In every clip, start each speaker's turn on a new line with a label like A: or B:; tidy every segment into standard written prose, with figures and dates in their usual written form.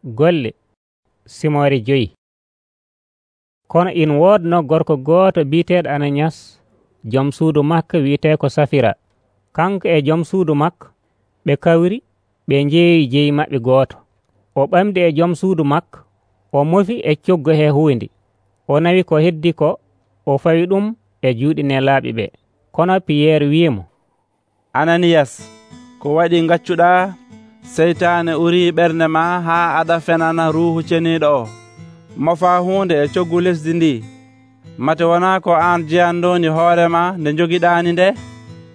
A: Golle Simoore 5. Kono in woodno gorko gooto biiteeɗo Ananiyas, jom suudu makko wiyetee ko Safira. Kanko e jom suudu makko ɓe kawri ɓe njeeyi jeyi maɓɓe gooto. O ɓamdi e jom suudu makko, o mofi e coggu he huunde. O nawi ko heddi ko, o fawi ɗum e juuɗe nelaaɓe ɓe. Kono Piyeer wi'imo,
B: Ananiyas, ko waɗi ngaccuɗaa? Seytaane urii ɓernde ma haa aɗa fenana Ruuhu Ceniiɗo o. Mofaa huunde e coggu lesdi ndi. Mate wonaa ko aan jeyandoni hoorema nde jogiɗaani nde?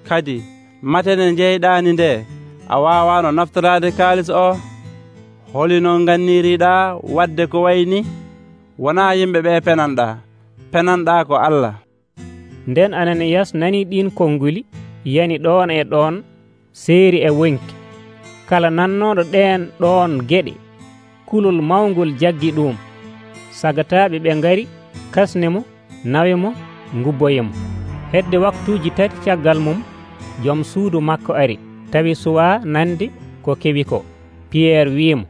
B: Kadi mate nde njeyɗaani nde a waawaano naftoraade kaalis o? Holino nganniriiɗaa waɗde ko wayi ni? Wonaa yimɓe ɓee penanɗaa, penanɗaa ko Allah.
A: Nden Ananiyas nanii ɗiin konnguli yani ɗoon e ɗoon seeri e wonki. Kala nannooɗo ɗeen ɗoon geɗe, kulol mawngol jaggi ɗum. Sagataaɓe ɓe ngari kasnimo, nawimo, ngubboyimo. Hedde waktuuji 3 caggal mum, jom suudu makko ari, tawi suwaa nande ko kewi ko. Piyeer wi'imo,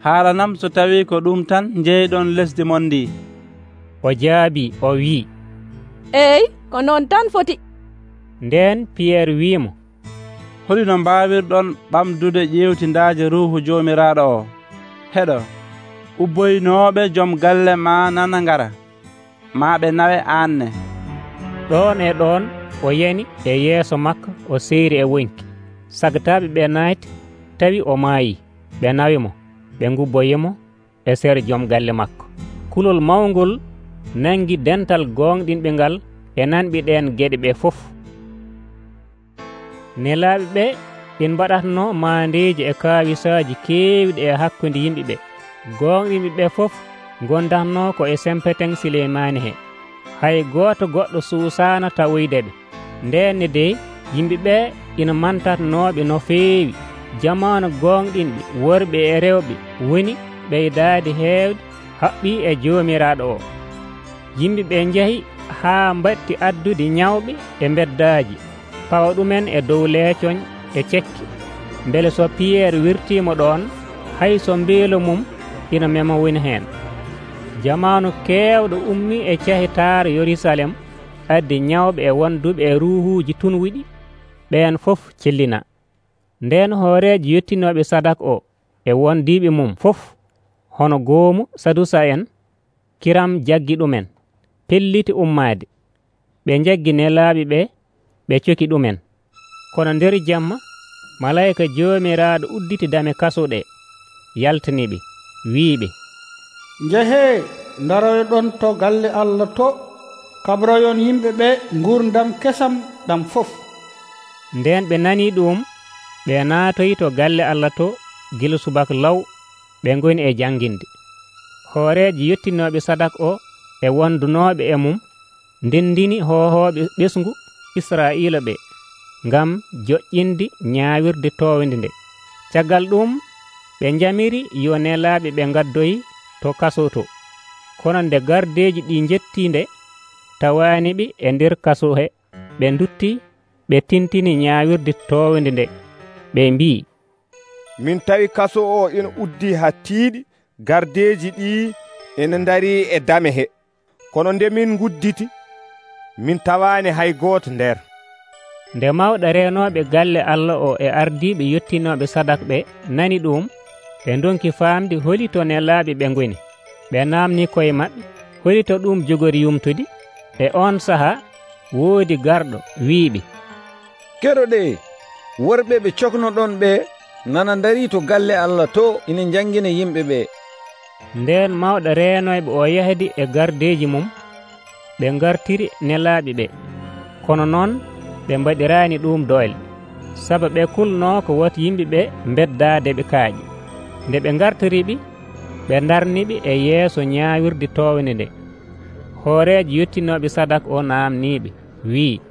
B: haalanam so tawi ko ɗum tan njeyɗon lesdi mon ndi.
A: O jaabii o wi'i,
C: eey, ko noon tan foti.
A: Nden Piyeer wi'imo,
B: holino mbaawirɗon ɓamdude ƴewtindaaje Ruuhu Joomiraaɗo o? Heɗo, ubboynooɓe jom galle ma nana ngara, maa ɓe nawe aan ne.
A: Ɗoon e ɗoon o yani e yeeso makko o seeri e wonki. Sagataaɓe ɓe naati, tawi o maayii. Ɓe nawimo, ɓe ngubboyimo e sere jom galle makko. Kulol mawngol nangi dental goongɗinɓe ngal e nanɓe ɗeen geɗe ɓe fof. Nelaaɓe ɓe ɓe mbaɗatno maandeeji e kaawisaaji keewɗi e hakkunde yimɓe ɓe. Goongɗinɓe ɓe fof gondatno ko e sempeten Sileymaani he. Hay gooto goɗɗo suusaano tawoyde ɓe. Ndeenne dey yimɓe ɓe ina mantatnooɓe no feewi. Jamaanu goongɗinɓe worɓe e rewɓe woni ɓeydaade heewde haɓɓii e Joomiraaɗo o. Yimɓe ɓe njahi haa mbatti addude ñawɓe e mbeddaaji, pawa ɗumen e dow leecoñ e cekki. Mbele so Piyeer wirtiimo ɗoon, hay so mbeelo mum ina mema woni heen. Jamaanu keewɗo ummii e cahitaare Yerusalem addi ñawɓe e wonduɓe e ruuhuuji tunwiɗi, ɓeen fof cellina. Ndeen hooreejo yettinooɓe sadak o e wondiiɓe mum fof, hono goomu Sadusa en, kiram jaggi ɗumen, pelliti ummaade. Ɓe njaggi nelaaɓe ɓe, ɓe coki ɗumen. Kono nder jamma, malayika Joomiraaɗo udditi dame kaso ɗe, yaltaniɓe, wi'iɓe,
D: njehee, ndaroyɗon to galle Allah to, kabroyon yimɓe ɓe ngurdam kesam ɗam fof.
A: Nden ɓe nanii ɗum, ɓe naatoyi to galle Allah to gila subaka law, ɓe ngoni e jannginde. Hooreejo yettinooɓe sadak o e wondunooɓe e mum ndendini hohooɓe ɓesngu Israa'iila ɓe ngam joƴƴinde ñaawirde toowende nde. Caggal ɗum ɓe njamiri yo nelaaɓe ɓe ngaddoyi to kaso to. Kono nde gardeeji ɗi njetti nde, tawaani ɓe e nder kaso he, ɓe ndutti ɓe tintini ñaawirde toowende nde. Ɓe mbii,
E: min tawi kaso o ina uddi haa tiiɗi, gardeeji ɗi ina ndarii e dame he. Kono nde min ngudditi, min tawaani hay gooto nder.
A: Nde mawɗo reenooɓe galle Allah o e ardiiɓe yettinooɓe sadak ɓe nani ɗum, ɓe ndonki faamde holito nelaaɓe ɓe ngoni. Ɓe naamni koye maɓɓe holito ɗum jogori yumtude. E on sahaa woodi garɗo wi'iɓe,
F: keɗoɗe, worɓe ɓe coknoɗon ɓe nana ndarii to galle Allah to ina janngina yimɓe ɓe.
A: Nden mawɗo reenoyɓe o yahdi e gardeeji mum, ɓe ngartiri nelaaɓe ɓe. Kono noon ɓe mbaɗiraani ɗum doole, sabu ɓe kulnoo ko woti yimɓe ɓe mbeddaade ɓe kaaƴe. Nde ɓe ngartiriɓe, ɓe darniɓe e yeeso ñaawirde toowende nde. Hooreejo yettinooɓe sadak o naamniiɓe, wi'i,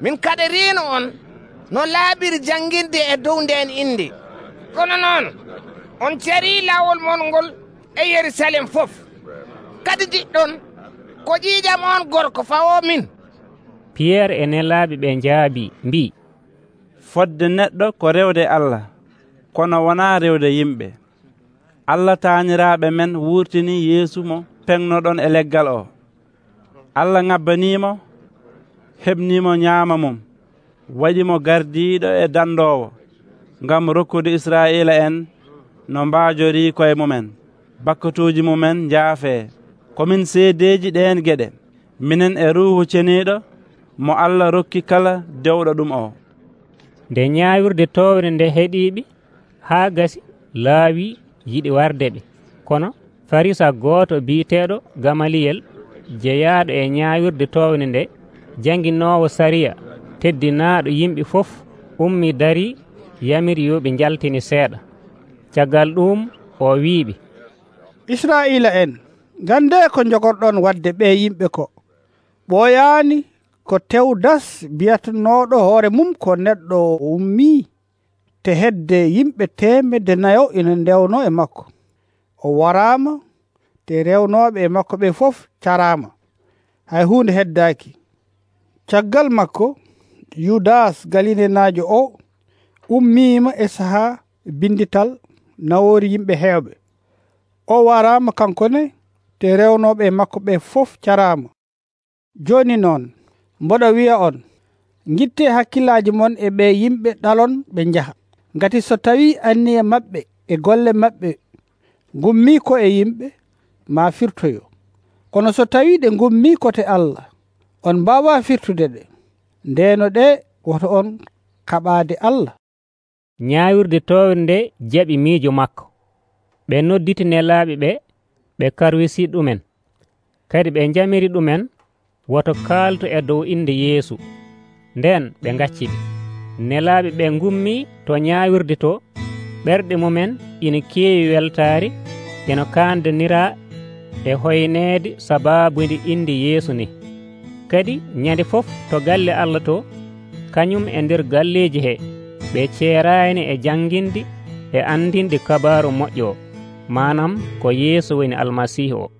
G: min kaɗiriino on no laaɓiri jannginde e dow ndeen inde. Kono noon on carii laawol mon ngol e Yerusalem fof. Kadi jiɗɗon ko ƴiiƴam on gorko fawoo min.
A: Piyeer e nelaaɓe ɓe njaabii mbii,
B: fodde neɗɗo ko rewde Allah, kono wonaa rewde yimɓe. Allah taaniraaɓe men wurtini Yeesu mo peŋnoɗon e leggal o. Allah ŋabbanimo, heɓnimo ñaama mum, waɗimo gardiiɗo e dandoowo ngam rokkude Israa'iila en no mbaajori koye mumen, bakkatuuji mumen njaafee. Komin seedeji ɗeen geɗe, minen e Ruuhu Ceniiɗo mo Allah rokki kala dewɗo ɗum o.
A: Nde ñaawirde towre nde heɗiiɓe haa gasi, laawi yiɗi warde ɓe. Kono Farisa gooto biiteeɗo Gamaliyel, jeyaaɗo e ñaawirde towre nde, janginoowo sariya, teddinaaɗo yimɓe fof, ummi darii yamiri yo ɓe njaltini seeɗa. Caggal ɗum o wiiɓe,
D: Israa'iila en, gande ko jogorɗon wadde ɓe yimɓe ko. ɓooyaani ko Tewdas biyatanooɗo hoore mum ko neɗɗo ummii, te hedde yimɓe 400 ina ndewno e makko. O waraama, te rewnooɓe e makko ɓe fof caraama, hay huunde heddaaki. Caggal makko, Yudas Galilenaajo o ummiima e sahaa bindital nawoori yimɓe heewɓe. O waraama kankone, te rewnooɓe e makko ɓe fof caraama. Jooni noon, mboɗo wi'a on, ngittee hakkillaaji mon e ɓe yimɓe ɗalon ɓe njaha. Ngati so tawii anniye maɓɓe e golle maɓɓe ngummii ko e yimɓe, maa firtoyo. Kono so tawii ɗe ngummii kote Allah, on mbaawaa firtude ɗe. Ndeeno ɗe woto on kaɓaade Allah.
A: ñaawirde towre nde jaɓi miijo makko. Ɓe nodditi nelaaɓe ɓe, ɓe karwisi ɗumen. Kadi ɓe jamiri ɗumen woto kaalto e dow inde Yeesu. Nden ɓe ngacciɓe. Nelaaɓe ɓe ngummii to ñaawirde to, ɓerɗe mumen ina keewi weltaare, ina kaandaniraa e hoyneede sabaabude inde Yeesu ni. Kadi ñande fof to galle Allah to, kañum e nder galleeji he, ɓe ceeraani e jannginde e andinde kabaaru moƴƴo o, manam ko Yeesu woni Almasiihu o.